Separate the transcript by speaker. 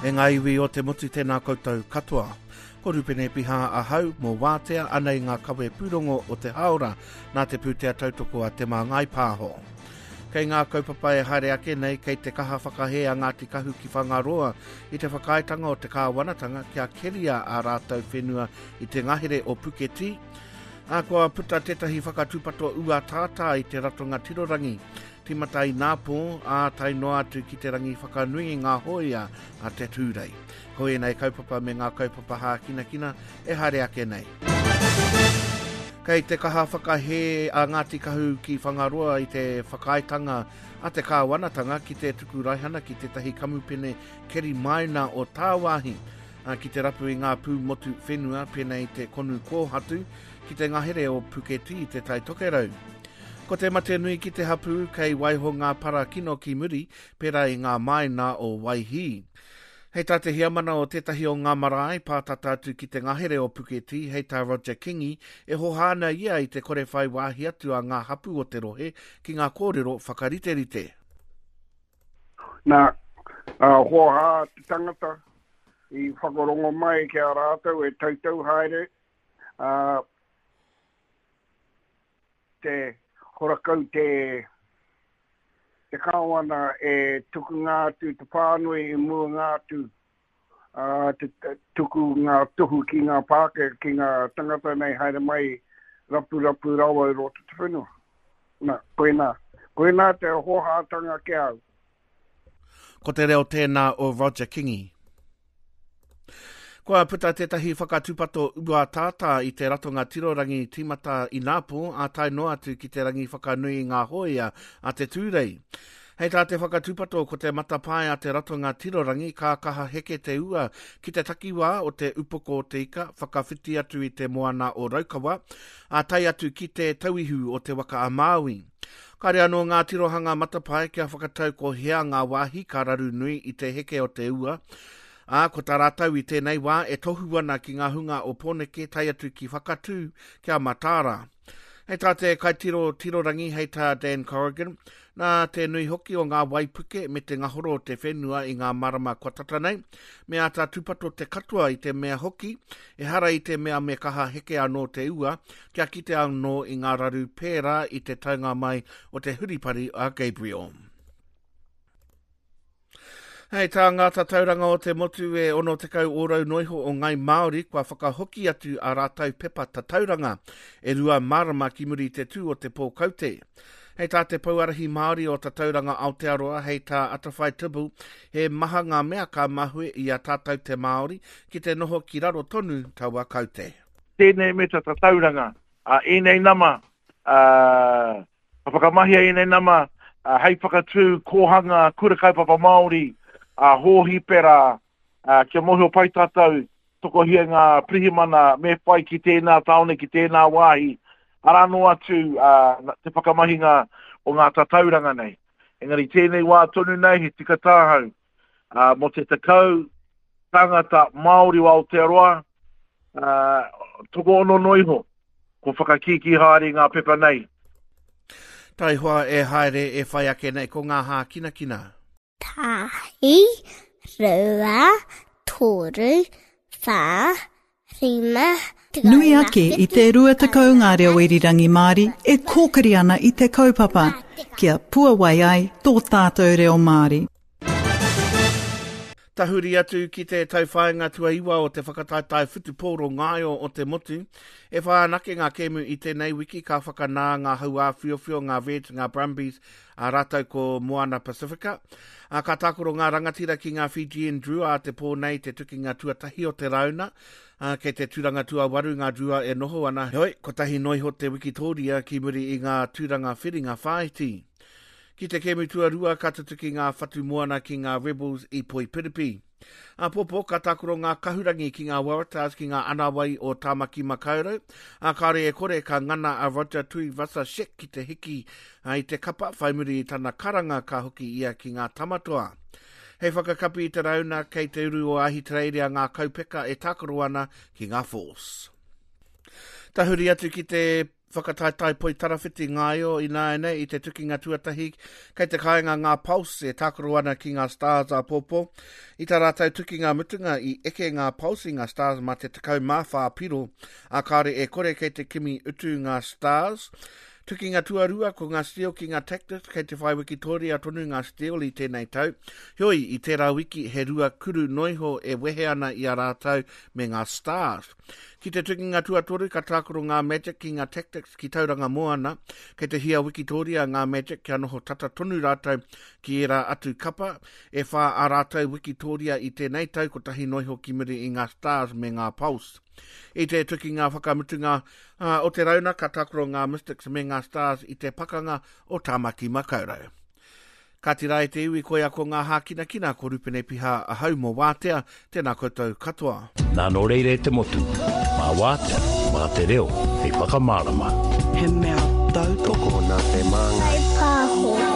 Speaker 1: E ngā iwi o te motu tēnā koutou katoa. Ko Rupene Piha ahau mō Wātea anei ngā kawe pūrongo o te hāora nā te pūtea tautoko a Te Māngai Pāho. Kei ngā kaupapa e haere ake nei, kei te kaha whakahē a Ngāti Kahu ki Whangaroa i te whakaaetanga o te kāwanatanga kia keria ā rātou whenua i te ngahere o Puketī, ā, kua puta tētahi whakatūpato ua tātā i te ratonga tirorangi, tīmata ināpō, ā, tae noa atu ki te rangi whakanui i ngā hōia a te Tūrei. Ko ēnei kaupapa me ngā kaupapa hākinakina e haere ake nei. Kei te kaha whakahē a Ngāti Kahu ki Whangaroa i te whakaaetanga a te kāwanatanga ki te tuku raihana ki tētahi kamupene keri maina o tāwāhi ki te rapu i ngā pū motu whenua pēnei i te konu kōhatu ki te ngahere o Puketī i Te Tai Tokerau. Ko te mate nui ki te hapū kei waiho ngā para kino ki muri pērā i ngā māina o Waihī. Hei tā te heamana o tētahi o ngā marae pātata atu ki te ngahere o Puketī, hei tā Roger Kingi, e hoha ana ia i te kore whai wāhi atu a ngā hapū o te rohe ki ngā kōrero whakariterite.
Speaker 2: Nā, ā, hoha te tangata i whakarongo mai ki a rātou e tautau haere, ā, te horakau te, te kāwana e tukunga atu te pānui i mua ngā atu, ā, te tuku ngā tohu ki ngā Pākehā, ki ngā tangata nei haere mai rapurapu rawa i roto te whenua. Nā, koinā. Koinā te hōhātanga ki a au.
Speaker 1: Ko te reo tēnā o Roger Kingi. Kua puta tētahi whakatūpato ua tātā i te ratonga tirorangi tīmata ināpō ā tae noa atu ki te rangi whakanui i ngā hōia a te Tūrei. Hei tā te whakatūpato ko te matapae a te ratonga tirorangi ka kaha heke te ua ki te takiwā o te Upoko o te Ika whakawhiti atu i te moana o Raukawa, ā tae atu ki te Tauihu o Te Waka a Māui. Kāre anō ngā tirohanga matapae kia whakatau ko hea ngā wāhi ka raru nui i te heke o te ua, ā, ko tā rātou i tēnei wā e tohu ana ki ngā hunga o Pōneke tae atu ki Whakatū kia mataara. Hei tā te kaitiro tirorangi, hei tā Dan Corrigan, nā te nui hoki o ngā waipuke me te ngahoro o te whenua i ngā marama kua tata nei, me āta tūpato te katoa i te mea hoki, ehara i te mea me kaha heke anō te ua, kia kite anō i ngā raru pērā i te taunga mai o te huripari a Gabriel. Hei tā ngā tatauranga o te motu e 60 ōrau noiho o Ngai Māori kua whakahoki atu a rātou pepa tatauranga e rua marama ki muri i te tū o te pō kaute. Hei tā te Pouarahi Māori o Tatauranga Aotearoa, hei tā Atawhai Tibble, he maha ngā mea ka mahue i a tātou te Māori ki te noho ki raro tonu taua kaute.
Speaker 3: Tēnei me te tatauranga, a ēnei nama, a Ka whakamahia ēnei nama hei whakatū kōhanga kura kaupapa Māori, hōhipera, kia mōhio pai tātou tokohia ngā pirihimana me whai ki tēnā tāone, ki tēnā wāhi, arā noa atu te whakamahinga o ngā tatauranga nei. Engari tēnei wā tonu nei he tika tāhau mō te 10 tāngata Māori o Aotearoa, tokoono noa iho. Kua whakakīkī haere i ngā pepa nei.
Speaker 1: Taihoa e haere e whai ake nei ko ngā hākinakina.
Speaker 4: Tahi, rua, toru, whā, rima,
Speaker 5: Nui ake i te 20 ngā reo irirangi Māori e kōkiri ana i te kaupapa kia puawai ai tō tātou reo Māori.
Speaker 1: Tahuri atu ki te tauwhāinga tuaiwa o te whakataetae whutupōro ngaio o te motu. E whā anake ngā kēmu i tēnei wiki ka whakanā ngā hauāwhiowhio, ngā Reds, ngā Brumbies, ā rātou ko Moana Pasifika. Ā, ka tākaro ngā rangatira ki ngā Fijian Drua ā te pō nei te tukinga tuatahi o te rauna. Ā, kei te tūranga tuawaru ngā Drua e noho ana, heoi, kotahi noa iho te wikitōria ki muri i ngā tūranga whiringa whāiti. Ki te kēmu tuarua ka tutuki ngā whatu moana ki ngā Rebels i Poipiripi. Āpōpō ka tākaro ngā kahurangi ki ngā Waratahs ki ngā anawai o Tāmaki Makaurau, ā, kāore e kore ka ngana a Roger Tuivasa-Sheck ki te hiki i te kapa whai muri i tana karanga ka hoki ia ki ngā Tamatoa. Hei whakakapi i te rauna kei te uru o Ahitereiria ngā kaupeka e tākaro ana ki ngā Force. Tahuri atu ki te. Whakataetae poitarawhiti ngaio ināianei i te tukinga tuatahi kei te kāinga ngā Pulse e tākaro ana ki ngā Stars āpōpō. I tā rātou tukinga mutunga i eke ngā Pulse i ngā Stars mā te 14 piro, ā kāore e kore kei te kimi utu ngā Stars. Tukinga tuarua ko ngā Steel ki ngā Tactics kei te whai wikitōria tonu ngā Steel i tēnei tau. Heoi, i tērā wiki he rua kuru noiho e wehe ana i a rātou me ngā Stars. Ki te tukinga tuatoru ka tākaro ngā Magic ki ngā Tactics ki Tauranga Moana. Kei te hia wikitōria ngā Magic kia noho tata tonu rātou ki ērā atu kapa. E whā ā rātou wikitōria i tēnei tau, kotahi noiho ki muri i ngā Stars me ngā Pulse. I te tukinga whakamutunga o te rauna ka tākaro ngā Mystics me ngā Stars i te pakanga o Tāmaki Makaurau. Kāti rā e te iwi, koia ko ngā hākinakina, ko Rupene Piha ahau mō Wātea, tēnā koutou katoa.
Speaker 6: Nā nō reira e te motu, mā Wātea, mā te reo hei whakamārama.
Speaker 7: He mea tautoko
Speaker 8: nā te Māngai.
Speaker 4: Pāho.